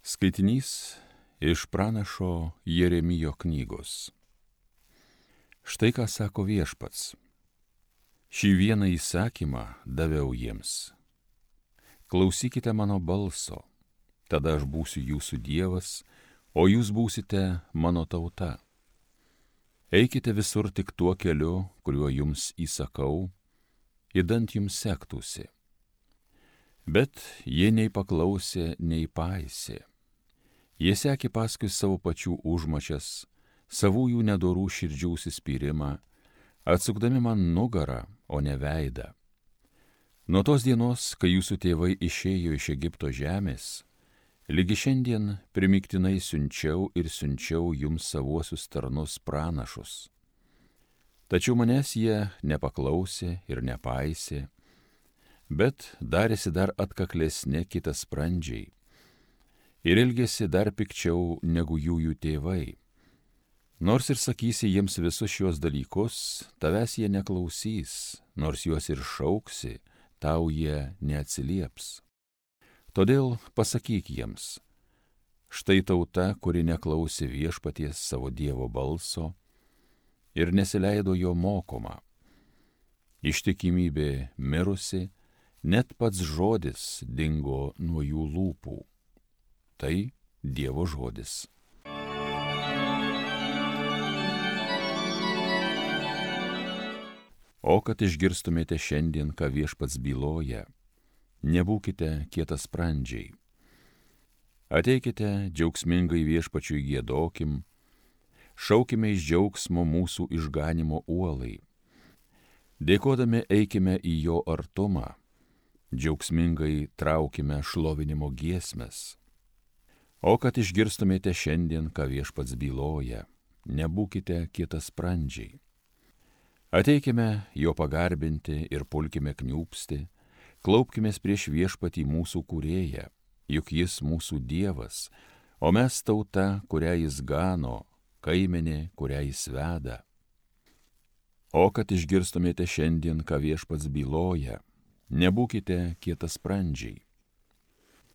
Skaitinys iš pranašo Jeremijo knygos. Štai ką sako Viešpats. Šį vieną įsakymą daviau jiems. Klausykite mano balso, tada aš būsiu jūsų Dievas, o jūs būsite mano tauta. Eikite visur tik tuo keliu, kuriuo jums įsakau, idant jums sektųsi. Bet jie nei paklausė, nei paisė. Jie sekė paskui savo pačių užmačias, savųjų nedorų širdžių užsispyrimą, atsukdami man nugarą, o ne veidą. Nuo tos dienos, kai jūsų tėvai išėjo iš Egipto žemės, lygi šiandien primiktinai siunčiau jums savuosius tarnus pranašus. Tačiau manęs jie nepaklausė ir nepaisė, bet darėsi dar atkaklesni kitasprandžiai ir elgėsi dar pikčiau negu jų tėvai. Nors ir sakysi jiems visus šios dalykus, tavęs jie neklausys, nors juos ir šauksi, tau jie neatsilieps. Todėl pasakyk jiems, štai tauta, kuri neklausė Viešpaties savo Dievo balso ir nesileido jo mokoma. Ištikimybė mirusi, net pats žodis dingo nuo jų lūpų. Tai Dievo žodis. O kad išgirstumėte šiandien, ką Viešpats byloja, nebūkite kietasprandžiai. Ateikite džiaugsmingai Viešpačiui giedokim, šaukime iš džiaugsmo mūsų išganimo uolai. Dėkodami eikime į jo artumą, džiaugsmingai traukime šlovinimo giesmes. O kad išgirstumėte šiandien, ką Viešpats byloja, nebūkite kietasprandžiai. Ateikime jo pagarbinti ir pulkime kniūpsti, klaupkimės prieš Viešpatį mūsų kūrėją, juk jis mūsų Dievas, o mes tauta, kurią jis gano, kaimenė, kurią jis veda. O kad išgirstumėte šiandien, ką Viešpats byloja, nebūkite kietasprandžiai.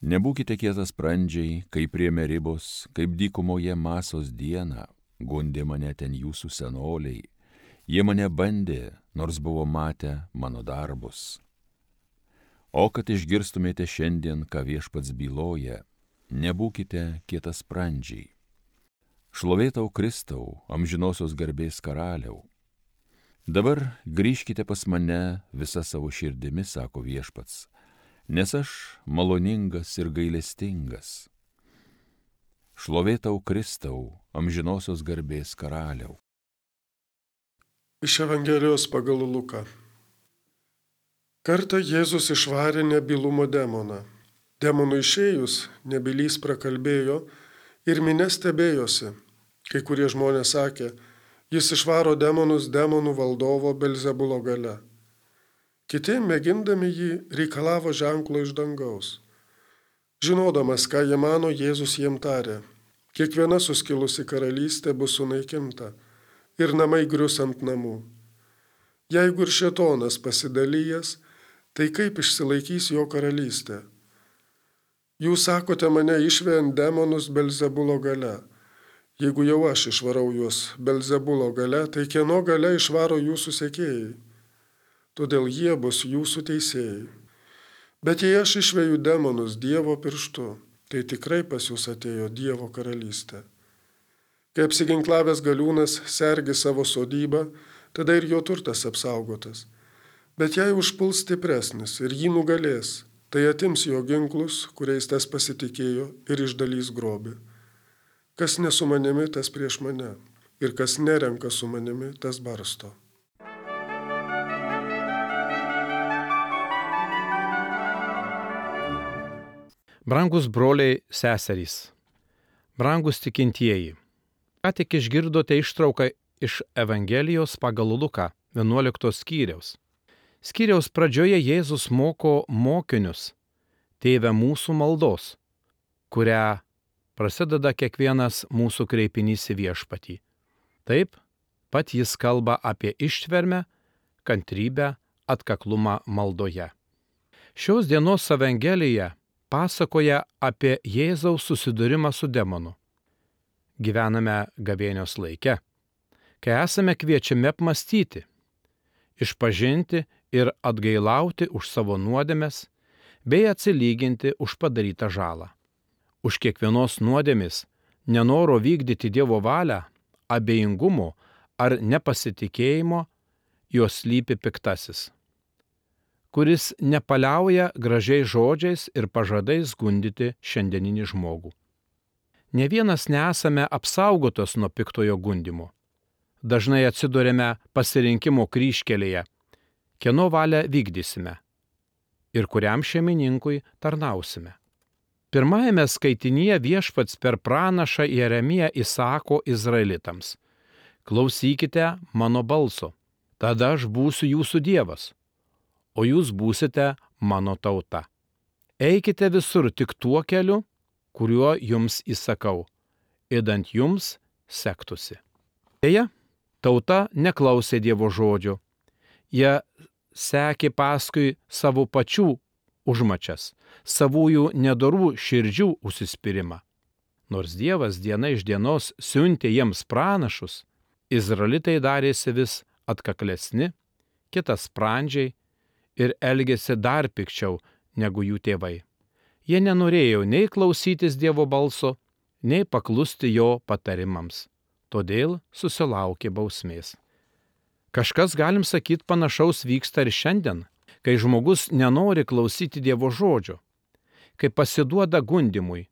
Nebūkite kietasprandžiai, kaip prie Meribos, kaip dykumoje Masos dieną, gundė mane ten jūsų senoliai. Jie mane bandė, nors buvo matę mano darbus. O kad išgirstumėte šiandien, ką Viešpats byloja, nebūkite kietasprandžiai. Šlovė tau Kristau, amžinosios garbės karaliau. Dabar grįžkite pas mane visa savo širdimi, sako Viešpats, nes aš maloningas ir gailestingas. Šlovė tau Kristau, amžinosios garbės karaliau. Iš Evangelijos pagal Luką. Kartą Jėzus išvarė nebylumo demoną. Demonui išėjus, nebylys prakalbėjo ir minia stebėjosi. Kai kurie žmonės sakė, jis išvaro demonus demonų valdovo Belzebulo galia. Kiti, mėgindami jį, reikalavo ženklo iš dangaus. Žinodamas, ką jie mano, Jėzus jiem tarė, kiekviena suskilusi karalystė bus sunaikinta ir namai grius ant namų. Jeigu ir šėtonas pasidalijęs, tai kaip išsilaikys jo karalystė? Jūs sakote mane išvejant demonus Belzebulo galia. Jeigu jau aš išvarau juos Belzebulo galia, tai kieno galia išvaro jūsų sekėjai? Todėl jie bus jūsų teisėjai. Bet jei aš išveju demonus Dievo pirštu, tai tikrai pas jūs atėjo Dievo karalystė. Kai apsiginklavęs galiūnas sergi savo sodybą, tada ir jo turtas apsaugotas. Bet jei užpuls stipresnis ir jį nugalės, tai atims jo ginklus, kuriais tas pasitikėjo, ir išdalys grobį. Kas ne su manimi, tas prieš mane, ir kas nerenka su manimi, tas barsto. Brangus broliai, seserys, brangus tikintieji, ką tik išgirdote ištrauką iš Evangelijos pagal Luką 11 skyriaus. Skyriaus pradžioje Jėzus moko mokinius Tėve mūsų maldos, kurią prasideda kiekvienas mūsų kreipinys į Viešpatį. Taip, pat jis kalba apie ištvermę, kantrybę, atkaklumą maldoje. Šios dienos Evangelija pasakoja apie Jėzaus susidūrimą su demonu. Gyvename gavėnios laike, kai esame kviečiami apmąstyti, išpažinti ir atgailauti už savo nuodėmes, bei atsilyginti už padarytą žalą. Už kiekvienos nuodėmės, nenoro vykdyti Dievo valią, abejingumo ar nepasitikėjimo, jos slypi piktasis, kuris nepaliauja gražiais žodžiais ir pažadais gundyti šiandieninį žmogų. Ne vienas nesame apsaugotos nuo piktojo gundymo. Dažnai atsidurėme pasirinkimo kryžkelėje, kieno valią vykdysime ir kuriam šeimininkui tarnausime. Pirmajame skaitinyje Viešpats per pranašą Jeremiją įsako izraelitams: klausykite mano balso, tada aš būsiu jūsų Dievas, o jūs būsite mano tauta. Eikite visur tik tuo keliu, kuriuo jums įsakau, idant jums sektųsi. Deja, tauta neklausė Dievo žodžio. Jie sekė paskui savo pačių užmačias, savųjų nedorų širdžių užsispyrimą. Nors Dievas diena iš dienos siuntė jiems pranašus, izraelitai darėsi vis atkaklesni, kitasprandžiai ir elgėsi dar pikčiau negu jų tėvai. Jie nenorėjo nei klausytis Dievo balso, nei paklusti jo patarimams, todėl susilaukė bausmės. Kažkas, galim sakyti, panašaus vyksta ir šiandien, kai žmogus nenori klausyti Dievo žodžio, kai pasiduoda gundymui,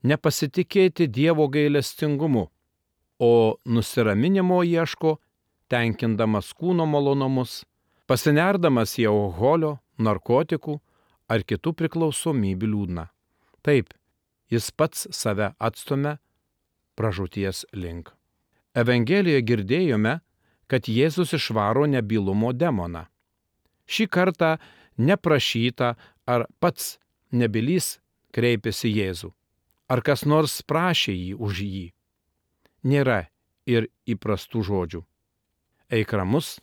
nepasitikėti Dievo gailestingumu, o nusiraminimo ieško, tenkindamas kūno malonumus, pasinerdamas į alkoholio, narkotikų ar kitų priklausomybių liūdną. Taip, jis pats save atstumia pražūties link. Evangelijoje girdėjome, kad Jėzus išvaro nebylumo demoną. Šį kartą neprašyta, ar pats nebylys kreipėsi Jėzų, ar kas nors prašė jį už jį. Nėra ir įprastų žodžių. Eik ramus,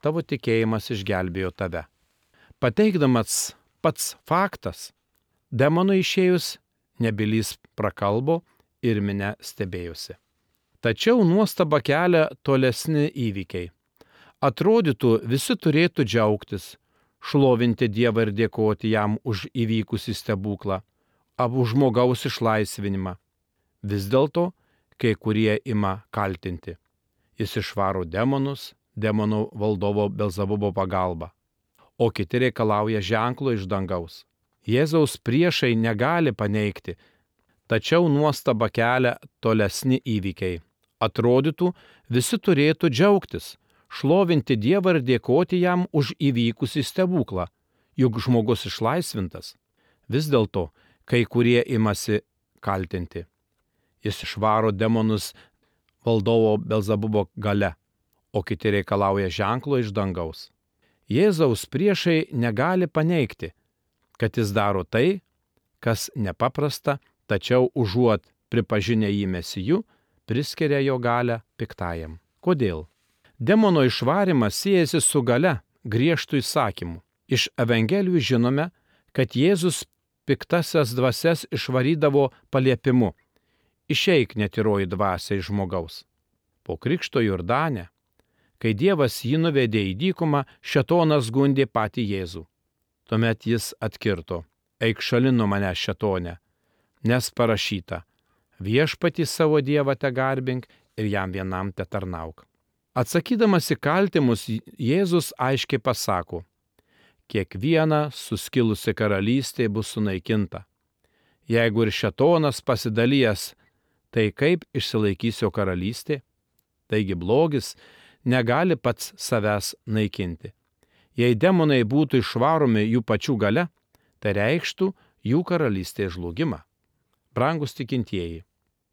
tavo tikėjimas išgelbėjo tave. Pateikdamas pats faktas, demonui išėjus, nebylys prakalbo ir minia stebėjosi. Tačiau nuostabą kelia tolesni įvykiai. Atrodytų, visi turėtų džiaugtis, šlovinti Dievą ir dėkoti jam už įvykusį stebuklą, už žmogaus išlaisvinimą. Vis dėlto, kai kurie ima kaltinti. Jis išvaro demonus, demonų valdovo Belzebubo pagalba, o kiti reikalauja ženklo iš dangaus. Jėzaus priešai negali paneigti, tačiau nuostabą kelia tolesni įvykiai. Atrodytų, visi turėtų džiaugtis, šlovinti Dievą ir dėkoti jam už įvykusį stebuklą, juk žmogus išlaisvintas. Vis dėlto, kai kurie imasi kaltinti. Jis išvaro demonus valdovo Belzebubo gale, o kiti reikalauja ženklo iš dangaus. Jėzaus priešai negali paneigti, kad jis daro tai, kas nepaprasta, tačiau užuot pripažinę jį mesiju, priskiria jo galią piktajam. Kodėl? Demono išvarimas siejasi su galia, griežtų įsakymų. Iš Evangelijų žinome, kad Jėzus piktasias dvasias išvarydavo paliepimu: išeik netyroji dvasia iš žmogaus. Po krikšto Jordane, kai Dievas jį nuvedė į dykumą, šėtonas gundė patį Jėzų. Tuomet jis atkirto: eik šalin nuo manęs, šėtone, nes parašyta: viešpatį savo Dievą tegarbink ir jam vienam tetarnauk. Atsakydamas į kaltimus, Jėzus aiškiai pasako: kiekviena suskilusi karalystė bus sunaikinta. Jeigu ir šėtonas pasidalijęs, tai kaip išsilaikys jo karalystė? Taigi blogis negali pats savęs naikinti. Jei demonai būtų išvaromi jų pačių galia, tai reikštų jų karalystės žlugimą. Brangus tikintieji,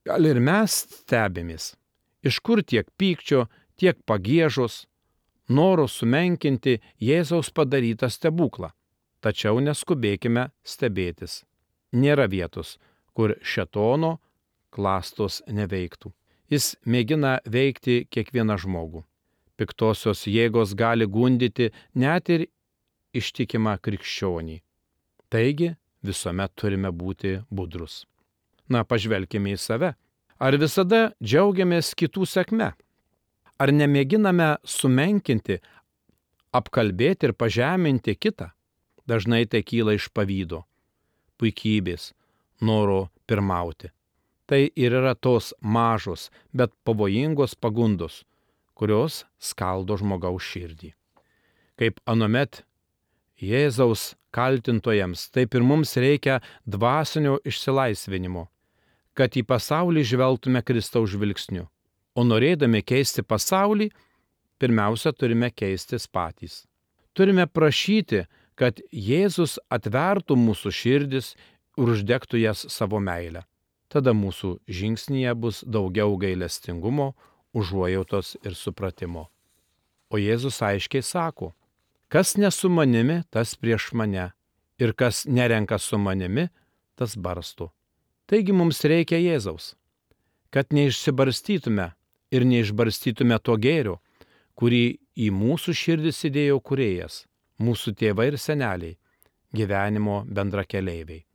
gal ir mes stebimės, iš kur tiek pykčio, tiek pagiežos, noro sumenkinti Jėzaus padarytą stebuklą. Tačiau neskubėkime stebėtis. Nėra vietos, kur šėtono klastos neveiktų. Jis mėgina veikti kiekvieną žmogų. Piktosios jėgos gali gundyti net ir ištikimą krikščionį. Taigi, visuomet turime būti budrus. Na, pažvelkime į save. Ar visada džiaugiamės kitų sėkme? Ar nemėginame sumenkinti, apkalbėti ir pažeminti kitą? Dažnai tai kyla iš pavydo, puikybės, noro pirmauti. Tai ir yra tos mažos, bet pavojingos pagundos, kurios skaldo žmogaus širdį. Kaip anuomet Jėzaus kaltintojams, taip ir mums reikia dvasinio išsilaisvinimo, kad į pasaulį žvelgtume Kristaus žvilgsniu. O norėdami keisti pasaulį, pirmiausia turime keistis patys. Turime prašyti, kad Jėzus atvertų mūsų širdis ir uždegtų jas savo meilę. Tada mūsų žingsnyje bus daugiau gailestingumo, užuojautos ir supratimo. O Jėzus aiškiai sako, kas ne su manimi, tas prieš mane, ir kas nerenka su manimi, tas barsto. Taigi mums reikia Jėzaus, kad neišsibarstytume ir neišbarstytume to gėrio, kurį į mūsų širdis įdėjo Kūrėjas, mūsų tėvai ir seneliai, gyvenimo bendrakeleiviai.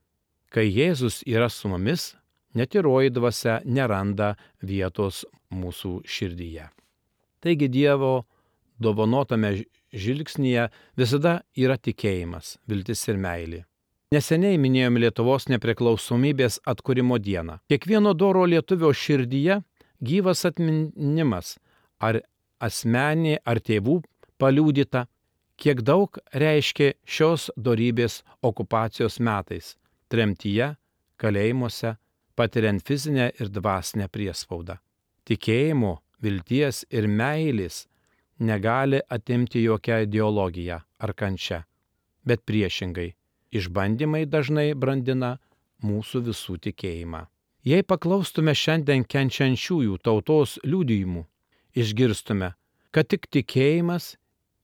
Kai Jėzus yra su mumis, netyroji dvasia neranda vietos mūsų širdyje. Taigi Dievo dovanotame žvilgsnyje visada yra tikėjimas, viltis ir meilė. Neseniai minėjome Lietuvos nepriklausomybės atkūrimo dieną. Kiekvieno doro lietuvio širdyje gyvas atminimas, ar asmeninė, ar tėvų paliudyta, kiek daug reiškia šios dorybės okupacijos metais, tremtyje, kalėjimuose, patiriant fizinę ir dvasinę priespaudą. Tikėjimo, vilties ir meilės negali atimti jokia ideologija ar kančia, bet priešingai, išbandymai dažnai brandina mūsų visų tikėjimą. Jei paklaustume šiandien kenčiančiųjų tautos liudijimų, išgirstume, kad tik tikėjimas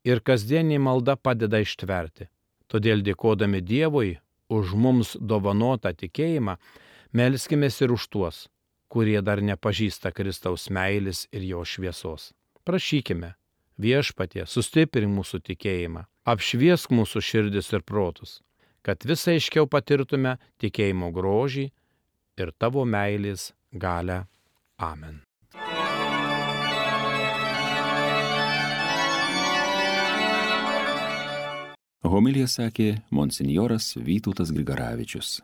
ir kasdienė malda padeda ištverti. Todėl dėkodami Dievui už mums dovanotą tikėjimą, melskimės ir už tuos, kurie dar nepažįsta Kristaus meilės ir jo šviesos. Prašykime, Viešpatie, sustiprink mūsų tikėjimą, apšviesk mūsų širdis ir protus, kad visai aiškiau patirtume tikėjimo grožį ir tavo meilės galią. Amen. Homiliją sakė monsinjoras Vytautas Grigaravičius.